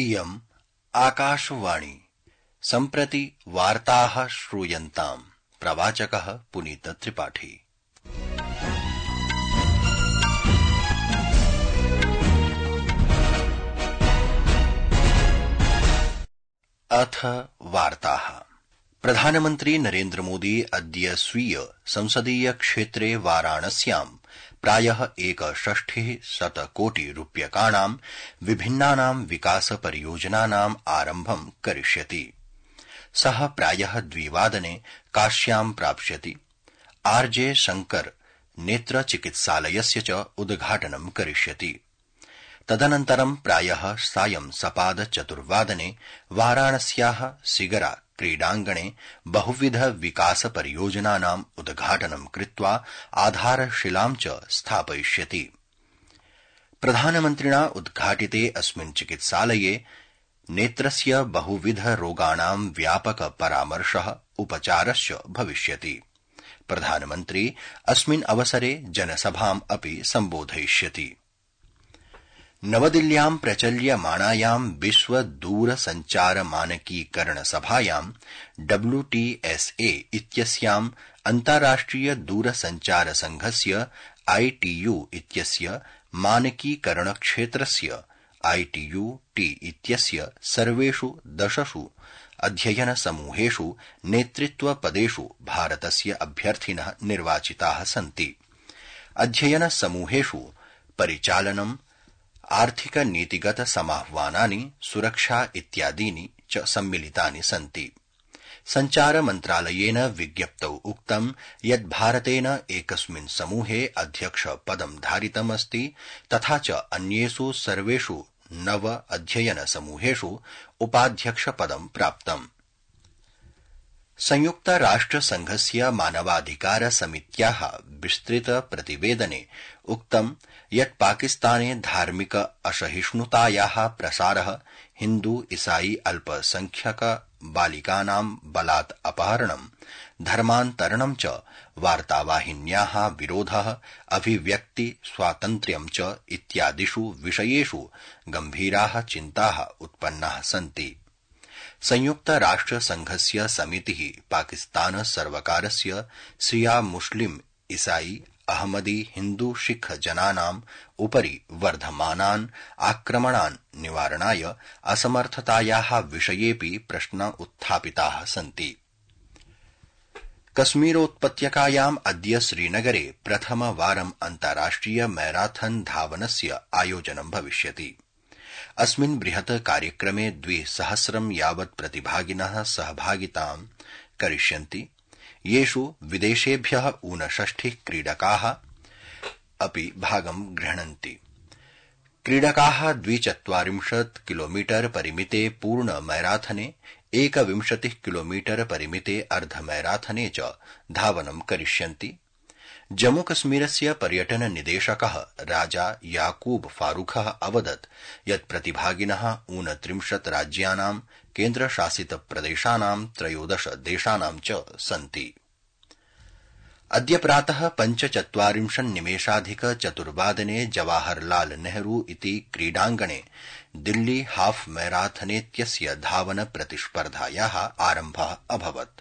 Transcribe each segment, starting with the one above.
इयम् आकाशवाणी सम्प्रति वार्ताः श्रूयन्ताम्। प्रवाचकः पुनीत त्रिपाठी। अथ वार्ताः। प्रधानमन्त्री नरेन्द्र मोदी अद्य स्वीय संसदीय क्षेत्रे वाराणस्याम् प्रायः 1,60 कोटि रूप्यकाणां विभिन्नानां विकास परियोजनानाम् आरम्भं करिष्यति। सः प्रायः 2 काश्यां प्राप्स्यति। आर्जे शंकर नेत्र चिकित्सालयस्य च उद्घाटनं करिष्यति। तदनन्तरं प्रायः सायं सपाद 4 वाराणस्याः सिगरा क्रीडाङ्गणे बहुविध विकास परियोजनानाम् उद्घाटनं कृत्वा आधारशिलां च स्थापयिष्यति। प्रधानमन्त्रिणा उद्घाटिते अस्मिन् चिकित्सालये नेत्रस्य बहुविध रोगाणां व्यापक परामर्शः उपचारश्च भविष्यति। प्रधानमन्त्री अस्मिन् अवसरे जनसभाम् अपि सम्बोधयिष्यति। नवदिल्ल्यां प्रचल्यमाणायां विश्व दूरसञ्चार मानकीकरण सभायां WTSA इत्यस्यां अन्ताराष्ट्रिय दूरसञ्चार संघस्य ITU इत्यस्य मानकीकरण क्षेत्रस्य ITU-T इत्यस्य सर्वेषु 10 अध्ययन समूहेषु नेतृत्वपदेषु भारतस्य अभ्यर्थिनः निर्वाचिताः सन्ति। अध्ययन समूहेषु परिचालनम्, आर्थिक नीतिगत समाह्वानानि, सुरक्षा इत्यादीनि च सम्मिलितानि सन्ति। सञ्चार मन्त्रालयेन विज्ञप्तौ उक्तं यत् भारतेन एकस्मिन् समूहे अध्यक्ष पदं धारितमस्ति तथा च अन्येषु सर्वेषु 9 अध्ययन समूहेषु उपाध्यक्ष पदं प्राप्तम्। संयुक्त राष्ट्र संघस्य मानवाधिकार समित्याः विस्तृत प्रतिवेदने उक्तं यत् पाकिस्ताने धार्मिक असहिष्णुतायाः प्रसारः, हिन्दू ईसाई अल्पसंख्यक बालिकानां बलात् अपहरणं, धर्मान्तरणं च, वार्तावाहिन्याः विरोधः, अभिव्यक्ति स्वातन्त्र्यं च इत्यादिषु विषयेषु गम्भीराः चिन्ताः उत्पन्नाः सन्ति। संयुक्त राष्ट्र संघस्य समितिः पाकिस्तान सर्वकारस्य शिया मुस्लिम ईसाई अहमदी हिन्दू सिख जनानाम् उपरि वर्धमानान् आक्रमणान् निवारणाय असमर्थतायाः विषयेऽपि प्रश्न उत्थापिताः सन्ति। कश्मीरोत्पत्यकायाम् अद्य श्रीनगरे प्रथमवारम् अन्ताराष्ट्रिय मैराथन धावनस्य आयोजनं भविष्यति। अस्मिन् बृहत् कार्यक्रमे 2,000 यावत् प्रतिभागिनः सहभागितां करिष्यन्ति, येषु विदेशेभ्यः 59 क्रीडकाः अपि भागं गृह्णन्ति। क्रीडकाः 240 किलोमीटर परिमिते पूर्ण मैराथने, 21 किलोमीटर परिमिते अर्धमैराथने च धावनं करिष्यन्ति। जम्मूकश्मीरस्य पर्यटन निदेशकः राजा याकूब फारूखः अवदत् यत् प्रतिभागिनः 29 राज्यानां, केन्द्रशासित प्रदेशानां, 13 देशानां च सन्ति। अद्य प्रातः 45:04 जवाहरलाल नेहरू इति क्रीडाङ्गणे दिल्ली हाफ मैराथनेत्यस्य धावन प्रतिस्पर्धायाः आरम्भः अभवत्।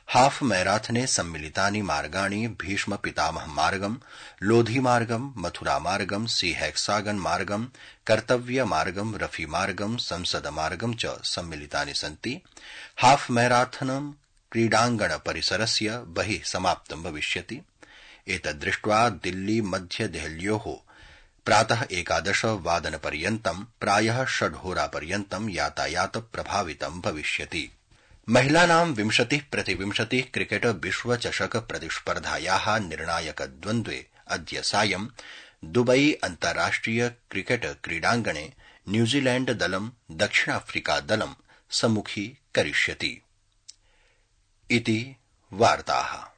हाफ मैराथने सम्मिलितानि मार्गाणि भीष्म पितामह मार्गं, लोधी मार्गं, मथुरा मार्गं, सी हेक्सागन मार्गं, कर्तव्य मार्गं, रफी मार्गं, संसद मार्गं च सम्मिलितानि सन्ति। हाफ मैराथनं क्रीडाङ्गण परिसरस्य बहिः समाप्तं भविष्यति। एतद्दृष्ट्वा दिल्ली मध्य देहल्योः प्रातः 11 पर्यन्तं प्रायः 6 होरापर्यन्तं यातायात प्रभावितं भविष्यति। महिलानां 20x20 क्रिकेट विश्वचषक प्रतिस्पर्धायाः निर्णायक द्वन्द्वे अद्य सायं दुबई अन्ताराष्ट्रिय क्रिकेट क्रीडाङ्गणे न्यूजीलैण्ड दलं दक्षिणाफ्रिका दलं सम्मुखी करिष्यति। इति वार्ताः।